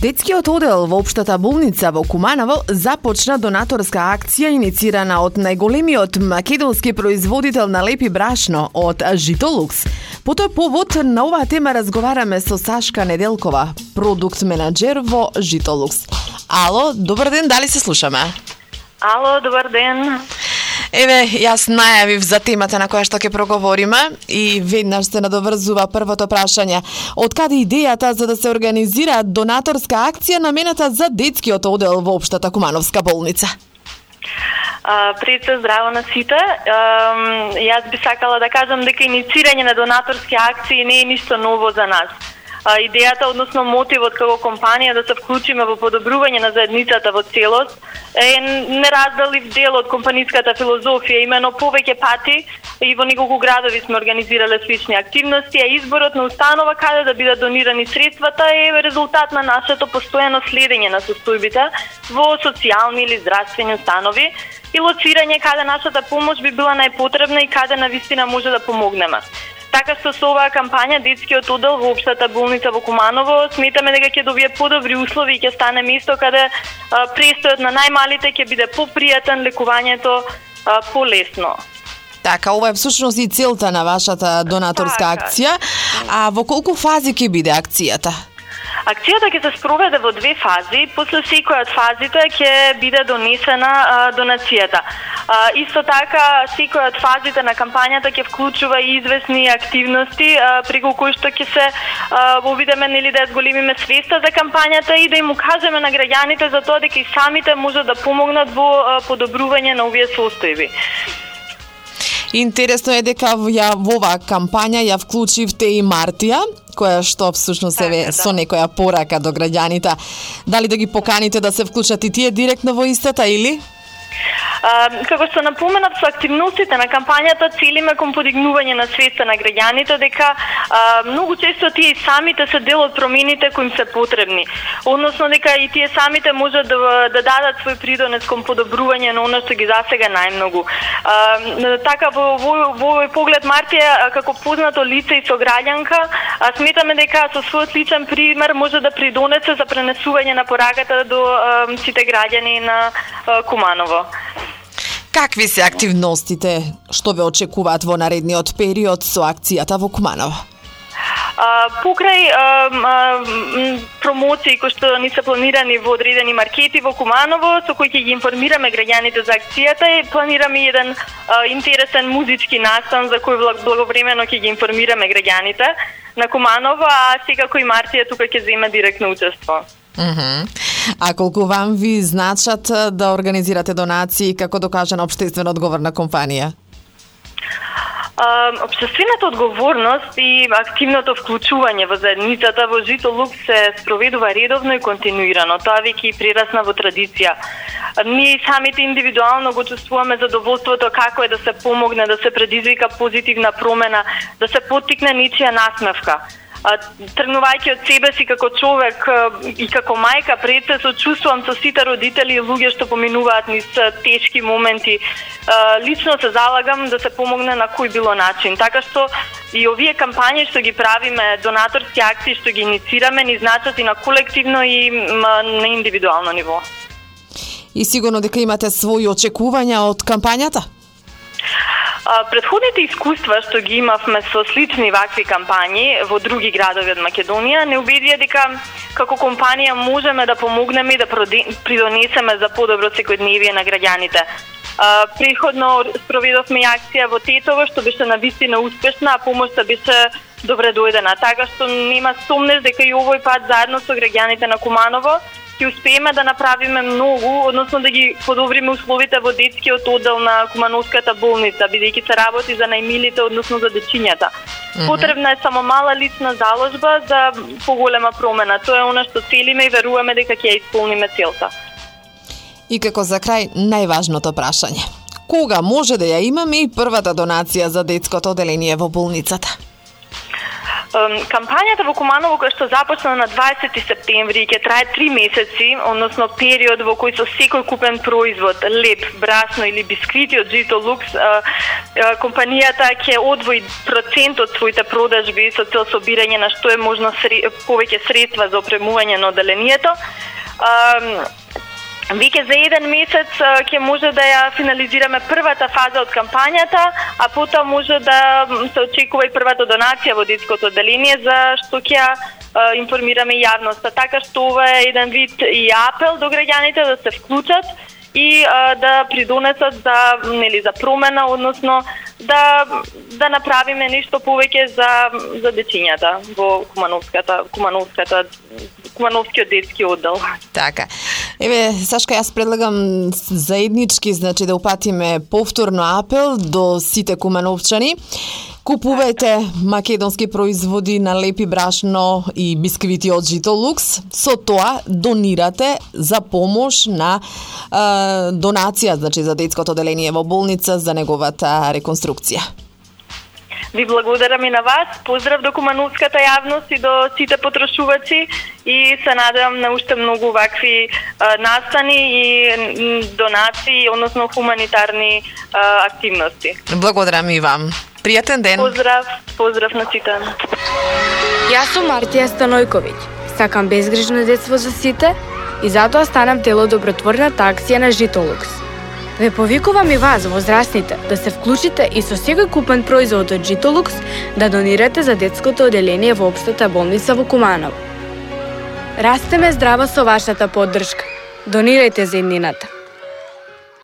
Детскиот одел во општата болница во Куманово започна донаторска акција иницирана од најголемиот македонски производител на лепи брашно, од Житолукс. По тој повод на оваа тема разговараме со Сашка Неделкова, продукт менаџер во Житолукс. Ало, добар ден, дали се слушаме? Ало, добар ден. Еве, јас најавив за темата на која што ќе проговориме и веднаш се надоврзува првото прашање. Од каде идејата за да се организира донаторска акција намената за детскиот одел во општата Кумановска болница? Пред се здраво на сите. Јас би сакала да кажам дека иницирање на донаторски акции не е ништо ново за нас. Идејата, односно мотивот како компанија да се вклучиме во подобрување на заедницата во целост е неразделив дел од компаниската филозофија. Имено повеќе пати и во неколку градови сме организирале слични активности, а изборот на установа каде да бидат донирани средствата е резултат на нашето постојано следење на состојбите во социјални или здравствени установи и лоцирање каде нашата помош би била најпотребна и каде навистина може да помогнеме. Така што со оваа кампања детскиот одел во општата болница во Куманово сметаме дека ќе добие подобри услови и ќе стане место каде престојот на најмалите ќе биде попријатен, лекувањето полесно. Така, ова е всушност и целта на вашата донаторска акција. А во колку фази ќе биде акцијата? Акцијата ќе се спроведе во две фази. После секоја од фазите ќе биде донесена донацијата. Исто така, секоја од фазите на кампањата ќе вклучува и известни активности преку кои што ќе се обидеме нели да зголемиме свеста за кампањата и да им укажеме на граѓаните за тоа дека и самите може да помогнат во подобрување на овие состојби. Интересно е дека во оваа кампања ја вклучивте и Мартија, која што всушност е со некоја порака до граѓаните. Дали да ги поканите да се вклучат и тие директно во истата или? Како што напоменав, со активностите на кампањата целиме кон подигнување на свеста на граѓаните дека многу често тие и самите се дел од промените кои им се потребни. Односно дека и тие самите можат да дадат свој придонес кон подобрување на оно што ги засега најмногу. Така во овој поглед Мартија како познато лице и сограѓанка сметаме дека со својот личен пример може да придонесе за пренесување на пораката до сите граѓани на Куманово. Какви се активностите што ве очекуваат во наредниот период со акцијата во Куманово? Покрај промоции кои што ни се планирани во одредени маркети во Куманово, со кои ќе ги информираме граѓаните за акцијата и планираме еден интересен музички настан за кој благовремено ќе ги информираме граѓаните на Куманово, а секако и Мартија тука ќе земе директно учество. А колку вам ви значат да организирате донации како докажана општествено одговорна компанија? Општествената одговорност и активното вклучување во заедницата во Житолукс се спроведува редовно и континуирано. Тоа веќе прерасна во традиција. Ние самите индивидуално го чувствуваме задоволството како е да се помогне, да се предизвика позитивна промена, да се поттикне нечија насмевка. Тргнувајќи од себе си како човек и како мајка, пред се сочувствувам со сите родители и луѓе што поминуваат низ тешки моменти. Лично се залагам да се помогне на кој било начин. Така што и овие кампањи што ги правиме, донаторски акции што ги иницираме, ни значат и на колективно и на индивидуално ниво. И сигурно дека имате своји очекувања од кампањата? Претходните искуства што ги имавме со слични вакви кампањи во други градови од Македонија не убедија дека како компанија можеме да помогнеме и да придонесеме за подобро секојдневие на граѓаните. Претходно спроведовме акција во Тетово што беше навистина успешна, а помошта беше добре дојдена. Така што нема сомнеш дека и овој пат заедно со граѓаните на Куманово ќе успееме да направиме многу, односно да ги подобриме условите во детскиот одел на Кумановската болница, бидејќи се работи за најмилите, односно за дечињата. Потребна е само мала лична заложба за поголема промена. Тоа е она што целиме и веруваме дека ќе ја исполниме целта. И како за крај, најважното прашање. Кога може да ја имаме и првата донација за детското оделение во болницата? Кампањата во Куманово која што започна на 20 септември ќе трае 3 месеци, односно период во кој со секој купен производ, леп, брасно или бисквити од Жито Лукс, компанијата ќе одвои процент од своите продажби со цел собирање на што е можно повеќе средства за опремување на одделението. Веќе за 1 месец ќе може да ја финализираме првата фаза од кампањата, а потоа може да се очекува и првата донација во детското одделение, за што ќе информираме јавноста. Така што ова е еден вид и апел до граѓаните да се вклучат и да придонесат за промена, односно да направиме нешто повеќе за дечињата во Кумановскиот детски оддел. Така. Еве, Сашка, јас предлагам заеднички, значи да упатиме повторно апел до сите кумановчани. Купувајте македонски производи на лепи брашно и бисквити од Жито Лукс. Со тоа донирате за помош на донација, значи за детското одделение во болница за неговата реконструкција. Ви благодарам и на вас. Поздрав до кумановската јавност и до сите потрошувачи и се надевам на уште многу вакви настани и донации, односно хуманитарни активности. Благодарам и вам. Пријатен ден. Поздрав на сите. Јас сум Мартија Станојковиќ. Сакам безгрижно детство за сите и затоа станам дел од добротворната акција на Жито Лукс. Ве повикувам и вас, возрастните, да се вклучите и со секој купен производ од Жито Лукс да донирате за детското одделение во општата болница во Куманово. Растеме здраво со вашата поддршка. Донирајте за иднината.